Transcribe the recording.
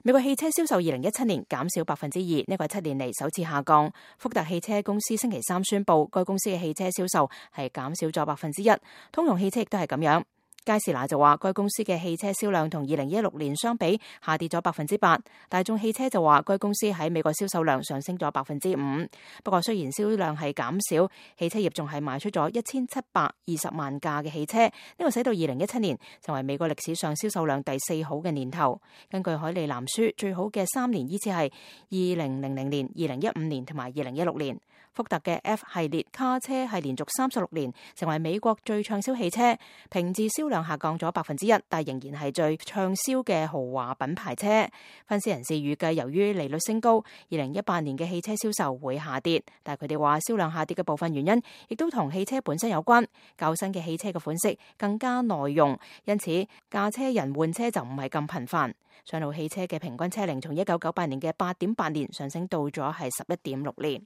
美國汽車銷售2017年減少2%，呢個係7年嚟首次下降。福特汽車公司星期三宣布，該公司嘅汽車銷售係減少咗1%，通用汽車亦都係咁樣。佳士拿就話，該公司嘅汽車銷量同2016年相比下跌咗8%。大眾汽車就話，該公司喺美國銷售量上升咗5%。不過雖然銷量係減少，汽車業仲係賣出咗1720萬架嘅汽車，呢個使到2017年成為美國歷史上銷售量第4好嘅年頭。根據海利藍書，最好嘅3年依次係2000年、2015年同埋2016年。福特嘅 F 系列卡車係連續36年成為美國最暢銷汽車，平治銷量下降咗1%，但仍然係最暢銷嘅豪華品牌車。分析人士預計，由於利率升高，2018年嘅汽車銷售會下跌，但係佢哋話銷量下跌嘅部分原因亦都同汽車本身有關。較新嘅汽車嘅款式更加耐用，因此駕車人換車就唔係咁頻繁。上路汽車嘅平均車齡從1998年嘅8.8年上升到咗係11.6年。